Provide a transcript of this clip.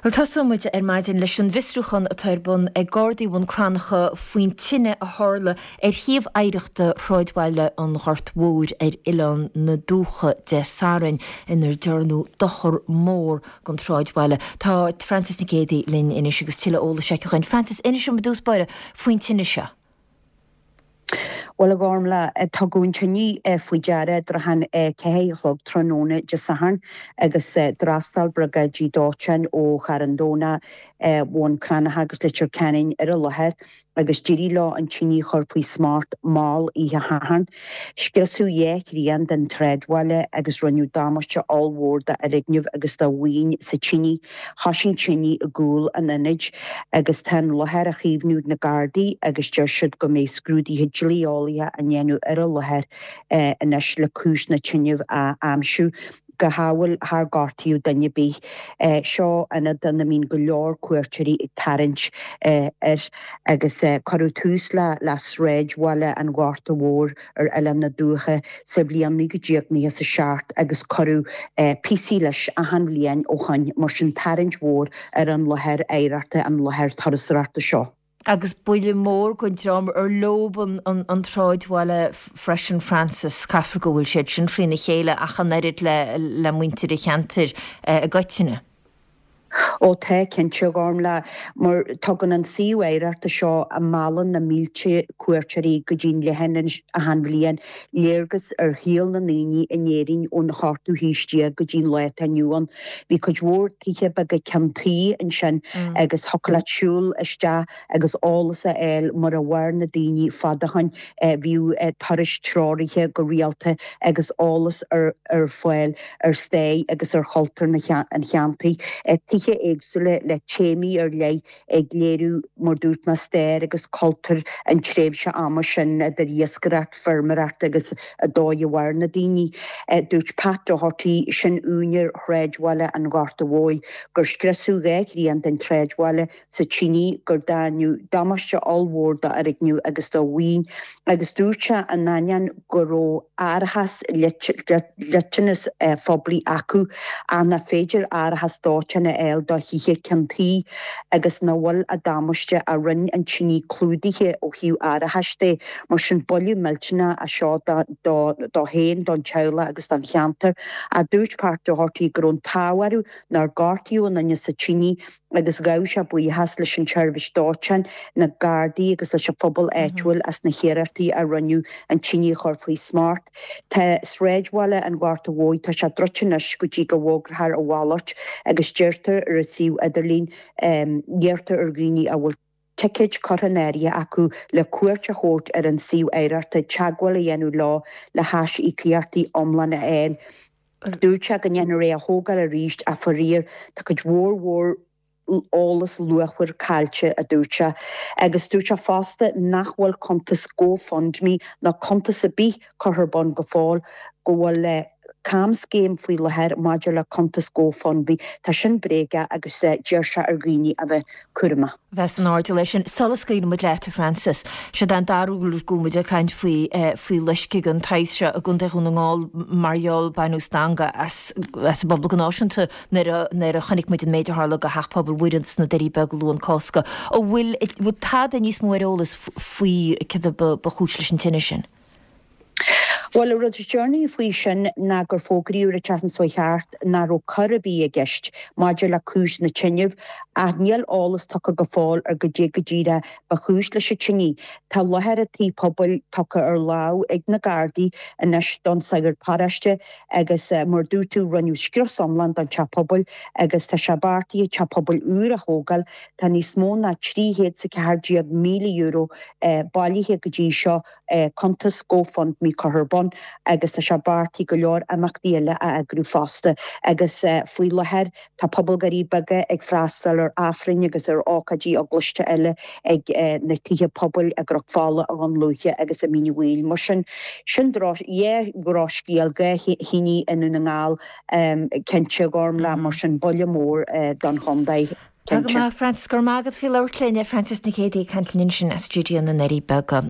Bhuel, tosóidh muid ar maidin leis an bhfiosrúchán atá ar bun ag Gardaí Bhun Cranncha faoin tine a tharla ar shuíomh oidhreachta shráidbhaile an Ghoirt Mhóir ar Oileán na Dúiche Dé Sathairn inar dearnadh dochar mór don tsráidbhaile. Tá Frances Nic Géadaigh linn anois agus tuilleadh eolais aici dhúinn. Frances, inis dom i dtús báire faoin tine seo. Bhuel, a Ghormfhlaith, tugadh an tine faoi deara i dtrátha an 4 a chlog tráthnóna Dé Sathairn agus d'fhreastail briogáidí dóiteáin ó Charn Domhnach, Bhun Cranncha agus Leitir Ceanainn ar an láthair agus d'éirigh leo an tine a chur faoi smacht mall oíche Shathairn. Scriosadh dhá thrian den tsráidbhaile agus rinneadh damáiste ollmhór d'fhoirgnimh agus do mhaoin sa tine. Thoisigh an tine i gcúl an ionaid agus tá an láthair á chaomhnú ag na Gardaí agus deir siad go mbeidh scrúduithe dlí-eolaíocha á ndéanamh ar an láthair anois le cúis na tine a aimsiú. Go hádhúil char gortaíodh duine ar bith. Seo ionad ina mbíonn go leor cuairteoirí ag tarraingt air agus cuireadh tús le sráidbhaile an Ghorta Mhóir ar Oileán na Dúiche sa bhliain 1997 agus cuireadh píosaí leis achan bhliain ó shoin, mar sin tarraingt mhór ar an láthair oidhreachta, an láthair turasóireachta seo. Agus buille mór don dream ar leob an tsráidbhaile freisin Frances, caithfear go bhfuil siad sin thrína chéile ach an oiread le muintir an cheantair i gcoitinne. Ó tá, cinnte, a Ghormfhlaith, mar tugann an suíomh oidhreachta seo, a meallann na mílte cuairteoirí go dtí'n leithinis achan bhliain, léargas ar shaol na ndaoine in Éirinn ón ochtú haois déag go dtí'n lá atá inniu ann. Bhí cuid mhór tithe beaga ceann tuí ansin agus thiocfadh leat siúl isteach agus eolas a fháil mar a mhair na daoine fad ó shoin. Bhíodh turais treoraithe go rialta agus eolas ar fáil ar stair agus ar chultúr an cheantair. Tithe éagsúla le téamaí ar leith ag léiriú, mar dúirt mé, stair agus cultúr an tréimhse ama sin, idir iascaireacht, feirmeoireacht agus an dóigh a mhair na daoine. Dúirt Pat Doherty, sin úinéir shráidbhaile an Ghorta Mhóir, gur scriosadh dhá thrian den tsráidbhaile sa tine gur deineadh damáiste ollmhór d'fhoirgnimh agus do mhaoin agus dúirt sé in ainneoin go raibh árachas dliteanas phoiblí acu ach nach féidir árachas dóiteáin a fháil do thithe ceann tuí agus nach bhfuil an damáiste a rinne an tine clúdaithe ó thaobh árachais de. Mar sin buille millteanach é seo dó féin, don teaghlach agus don cheantar. Ach dúirt Pat Doherty go raibh an t-ádh orthu nár gortaíodh aon duine sa tine agus ghabh sé buíochas leis an tseirbhís dóiteáin, na Gardaí agus leis an phobal áitiúil as na hiarrachtaí a rinneadh an tine a chur faoi smacht. Tá sráidbhaile an Ghorta Mhóir, tá sé druidte anois go dtí go bhfógrófar a mhalairt agus deirtear ar an suíomh idirlín, iarrtar ar dhaoine a bhfuil ticéid curtha in áirithe acu le cuairt a thabhairt ar an suíomh oidhreachta teagmháil a dhéanamh leo le haisíocaíochtaí iomlána a fháil. Dúirt sé go ndéanfar é a thógáil arís ach faraor tá cuid mhór mhór eolas luachmhar caillte, a dúirt sé. Agus dúirt sé fosta nach bhfuil cuntas GoFundMe ná cuntas ar bith curtha ar bun go fóill, go bhfuil camscéim faoi láthair maidir le cuntas GoFundMe. Tá sin bréagach agus d'iarr sé ar dhaoine a bheith cúramach. bheith san airdeall air sin. Sula scaoileann muid leat, a Frances, siod é an dara huair go bhfuil muid ag caint faoi faoi loisceadh den tsaghas seo i gContae Dhún na nGall mar gheall baineadh stangadh as as an bpobal go náisiúnta nuair a nuair a chonaic muid an méid a tharla go Theach Pobail Mhuire sna Doirí Beaga Luan Cásca. An bhfuil bhfuil tada níos mó ar eolas faoi céard a ba ba chúis leis an tine sin? Bhuel, an rud is deireanaí faoi sin ná gur fógraíodh an tseachtain seo chuaigh thart nach raibh coir ar bith i gceist maidir le cúis na tine, ach níl eolas tugtha go fóill ar goidé go díreach ba chúis leis an tine. Tá láthair an tí pobail tugtha ar lámh ag na Gardaí anois don sagart paróiste agus mar a dúirt tú rinneadh scrios iomlán don teach pobail agus tá sé beartaithe teach pobail úr a thógáil. Tá níos mó ná €314,000 bailithe go dtí seo cuntas GoFundMe curtha ar bun agus tá sé beartaithe go leor imeachtaí eile a eagrú fosta agus faoi láthair tá pobal Dhoirí Beaga ag freastal ar Aifrinn agus ar ócáidí eaglaiste eile ag na tithe pobail i gCnoc Fola, i nDún Lúiche agus i Mín an Mhaoil. Mar sin, sin dhá dhrochscéal, dhá thine i nDún na nGall cinnte, a Ghormfhlaith, mar sin buille mór don chontae. Tá go maith, Frances. Go raibh maith agat faoi labhairt linn. Frances Nic Géadaigh ag caint linn ansin as stiúideo na nDoirí Beaga.